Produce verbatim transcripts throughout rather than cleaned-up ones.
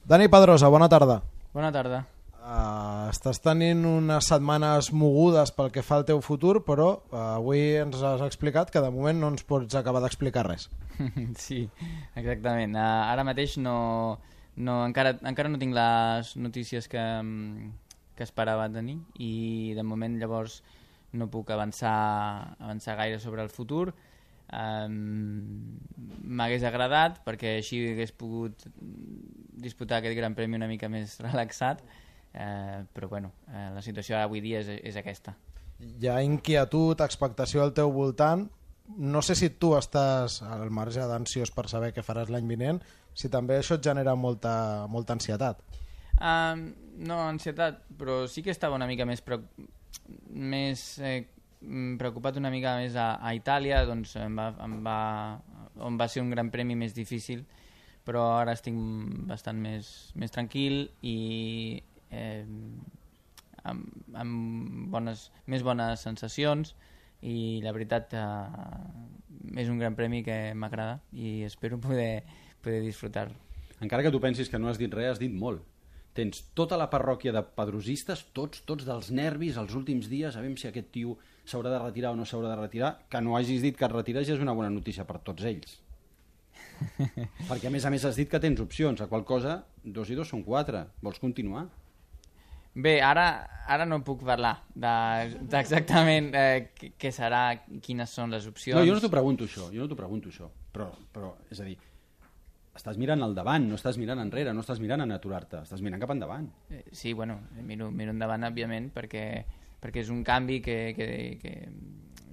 Dani Pedrosa, bona tarda. Bona tarda. Uh, estàs tenint unes setmanes mogudes pel que fa al teu futur, però uh, avui ens has explicat que de moment no ens pots acabar d'explicar res. Sí, exactament. Uh, ara mateix no, no, encara, encara no tinc les notícies que, que esperava tenir i de moment llavors no puc avançar, avançar gaire sobre el futur. Um, m'hagués agradat perquè així hagués pogut disputar aquest Gran Premi una mica més relaxat, eh, però bueno, eh, la situació avui dia és, és aquesta. Hi ha inquietud, expectació al teu voltant. No sé si tu estàs al marge d'ansiós per saber què faràs l'any vinent, si també això et genera molta, molta ansietat. Um, no, ansietat, però sí que estava una mica més, pre... més eh, preocupat una mica més a, a Itàlia, doncs em va, em va, on va ser un Gran Premi més difícil, però ara estic bastant més, més tranquil i eh, amb, amb bones, més bones sensacions, i la veritat eh, és un Gran Premi que m'agrada i espero poder, poder disfrutar. Encara que tu pensis que no has dit res, has dit molt. Tens tota la parròquia de pedrosistes, tots, tots dels nervis els últims dies, a veure si aquest tio s'haurà de retirar o no s'haurà de retirar. Que no hagis dit que et retires ja és una bona notícia per tots ells. Perquè a més a més has dit que tens opcions, a qual cosa dos i dos són quatre. Vols continuar? Bé, ara, ara no puc parlar d'exactament de, eh, què serà, quines són les opcions. No, jo no t'ho pregunto això, jo no t'ho pregunto això, però, però, és a dir, estàs mirant al davant, no estàs mirant enrere, no estàs mirant a aturar-te, estàs mirant cap endavant. Eh, sí, bueno, miro, miro endavant, òbviament, perquè, perquè és un canvi que, que, que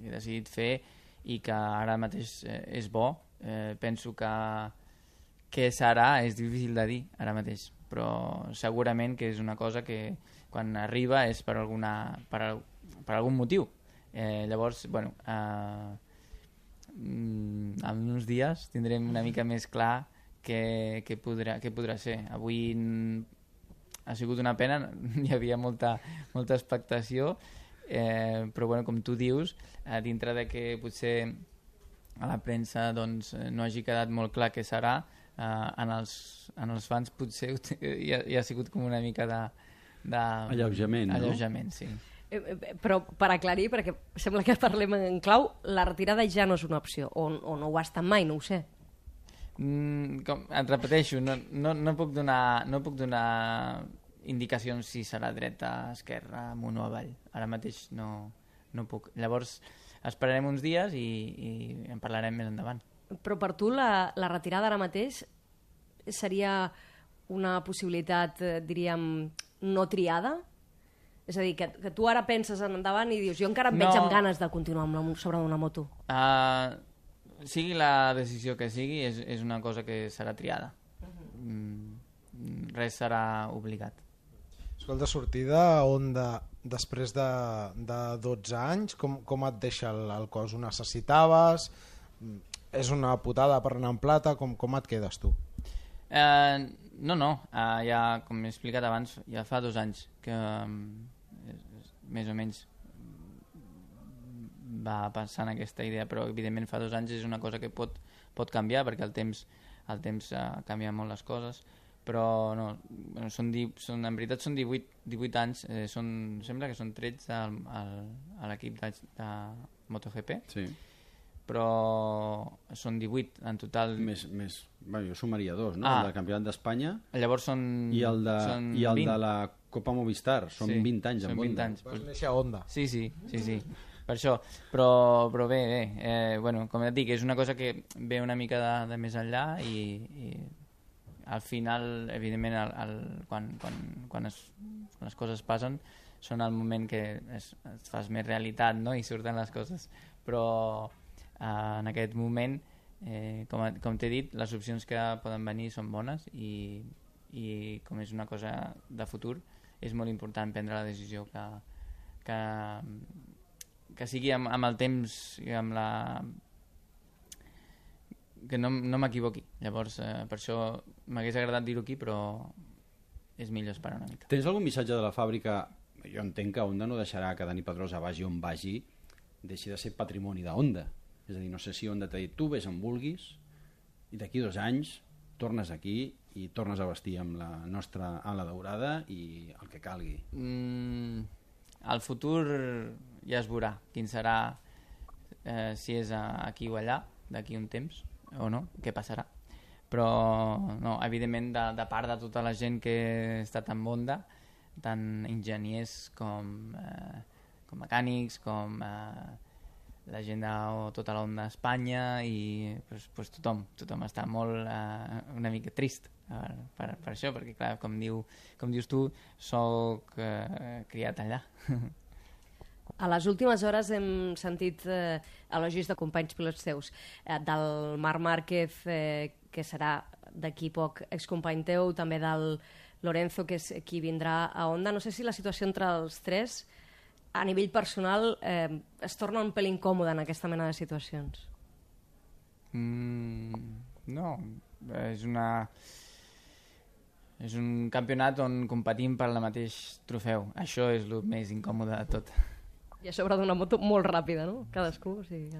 he decidit fer i que ara mateix eh, és bo. Eh, penso que què serà és difícil de dir ara mateix, però segurament que és una cosa que quan arriba és per, alguna, per, per algun motiu. Eh, llavors, bueno, eh, en uns dies tindrem una mica més clar què, què, podrà, què podrà ser. Avui ha sigut una pena, hi havia molta, molta expectació, eh, però bueno, com tu dius, eh, dintre de que potser a la premsa doncs, no hagi quedat molt clar què serà, eh, en, els, en els fans potser hi ha, hi ha sigut com una mica de, de alleujament, no? Alleujament, sí. Eh, però per aclarir, perquè sembla que parlem en clau, la retirada ja no és una opció, o, o no ho ha estat mai, no ho sé. Mm, com, et repeteixo, no, no, no, puc donar, no puc donar indicacions si serà dreta, esquerra, amunt o avall. Ara mateix no, no puc. Llavors esperarem uns dies i, i en parlarem més endavant. Però per tu la, la retirada ara mateix seria una possibilitat, eh, diríem, no triada? És a dir, que, que tu ara penses en endavant i dius jo encara em no. veig amb ganes de continuar amb la, sobre una moto. Uh, sigui la decisió que sigui, és, és una cosa que serà triada. Uh-huh. mm, res serà obligat. Escolta, sortida Honda després de, de dotze anys, com, com et deixa el, el cos? Ho necessitaves? És una putada per anar en plata? Com, com et quedes tu? Uh, no, no, uh, ja, com he explicat abans, ja fa dos anys que um, més o menys va passant aquesta idea, però evidentment fa dos anys és una cosa que pot, pot canviar perquè el temps, el temps uh, canvia molt les coses, però no, bueno, són, di, són, en veritat són divuit, divuit anys, eh, són, sembla que són tretze al, al, a l'equip de, de MotoGP, sí. Però són divuit en total. Més, més, bueno, jo sumaria dos, no? Ah. El del Campionat d'Espanya llavors són, i el de, són i el vint. de la Copa Movistar, són sí, vint anys són amb vint Honda. anys. Vas néixer a Honda. Sí, sí, sí, sí. Per això, però, però bé, bé eh, bueno, com et dic, és una cosa que ve una mica de, de més enllà i, i al final, evidentment, el, el, quan, quan, quan, es, quan les coses passen són el moment que es, es fas més realitat, no? I surten les coses, però eh, en aquest moment, eh, com, com t'he dit, les opcions que poden venir són bones i, i com és una cosa de futur, és molt important prendre la decisió que, que, que sigui amb, amb el temps i amb la... que no, no m'equivoqui. Llavors, eh, per això m'hagués agradat dir-ho aquí, però és millor esperar una mica. Tens algun missatge de la fàbrica? Jo entenc que Honda no deixarà que Dani Pedrosa vagi on vagi, deixi de ser patrimoni de Honda. És a dir, no sé si Honda t'ha dit tu vés on vulguis i d'aquí dos anys tornes aquí i tornes a vestir amb la nostra ala daurada i el que calgui. Mm, el futur ja es veurà quin serà, eh, si és aquí o allà, d'aquí un temps o no, què passarà. Però no, evidentment de, de part de tota la gent que ha estat en Honda, tant enginyers com, eh, com mecànics, com eh, la gent de tota la Honda d'Espanya i pues, pues tothom, tothom està molt eh, una mica trist per, per, per això, perquè clar, com, diu, com dius tu, soc eh, criat allà. A les últimes hores hem sentit eh, elogis de companys pilots teus, eh, del Marc Márquez, eh, que serà d'aquí poc excompany teu, també del Lorenzo, que és qui vindrà a Honda. No sé si la situació entre els tres, a nivell personal, eh, es torna un pel incòmode en aquesta mena de situacions. Mm, no, és una... És un campionat on competim per el mateix trofeu. Això és el més incòmode de tot. I a sobre d'una moto molt ràpida, no? Cadascú, o sigui que...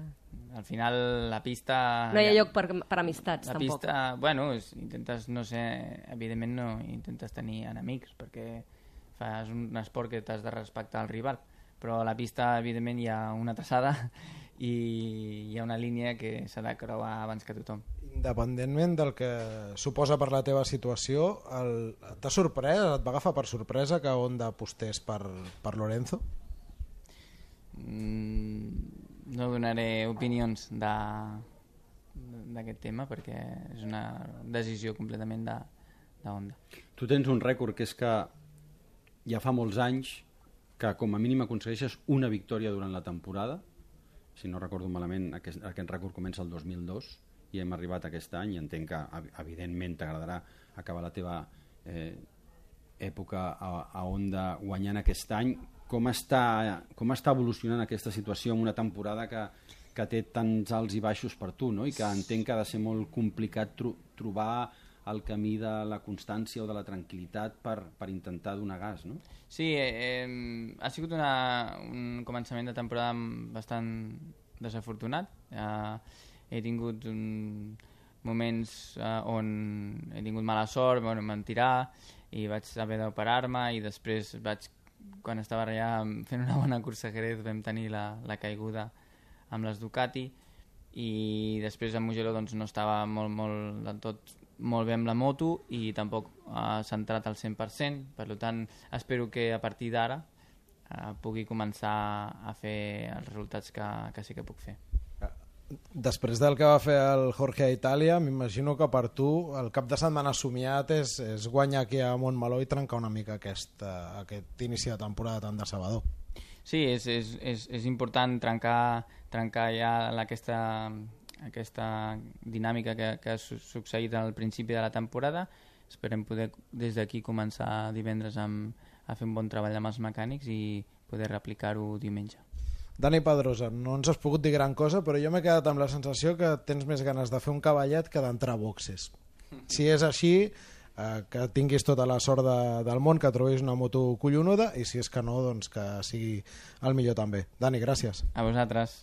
Al final, la pista... No hi ha lloc per, per amistats, la tampoc. La pista, bueno, és, intentes, no sé, evidentment no intentes tenir enemics, perquè fas un esport que t'has de respectar al rival, però a la pista, evidentment, hi ha una traçada i hi ha una línia que s'ha de creuar abans que tothom. Independentment del que suposa per la teva situació, t'ha sorprès, et va agafar per sorpresa que Honda apostés per, per Lorenzo? Mm, no donaré opinions d'aquest tema perquè és una decisió completament de, de Honda. Tu tens un rècord que és que ja fa molts anys que com a mínim aconsegueixes una victòria durant la temporada. Si no recordo malament, aquest, aquest rècord comença el dos mil dos i hem arribat aquest any i entenc que evidentment t'agradarà acabar la teva eh, època a, a Honda guanyant aquest any. Com està, com està evolucionant aquesta situació en una temporada que, que té tants alts i baixos per tu, no? I que entenc que ha de ser molt complicat tro trobar el camí de la constància o de la tranquil·litat per, per intentar donar gas, no? Sí, eh, ha sigut una, un començament de temporada bastant desafortunat. Eh, he tingut un, moments eh, on he tingut mala sort, bueno, em van tirar i vaig haver d'operar-me i després vaig, quan estava allà fent una bona cursa a Jerez, vam tenir la, la caiguda amb les Ducati i després a Mugello doncs, no estava molt, molt, del tot molt bé amb la moto i tampoc ha centrat al cent per cent, per tant espero que a partir d'ara eh, pugui començar a fer els resultats que, que sí que puc fer. Després del que va fer el Jorge a Itàlia, m'imagino que per tu el cap de setmana somiat és, és guanyar aquí a Montmeló i trencar una mica aquest, uh, aquest inici de temporada tan decebedor. Sí, és, és, és, és important trencar, trencar ja aquesta, aquesta dinàmica que, que ha succeït al principi de la temporada. Esperem poder des d'aquí començar divendres amb, a fer un bon treball amb els mecànics i poder replicar-ho diumenge. Dani Pedrosa, no ens has pogut dir gran cosa, però jo m'he quedat amb la sensació que tens més ganes de fer un cavallet que d'entrar a boxes. Si és així, eh, que tinguis tota la sort de, del món, que trobis una moto collonuda, i si és que no, doncs que sigui el millor també. Dani, gràcies. A vosaltres.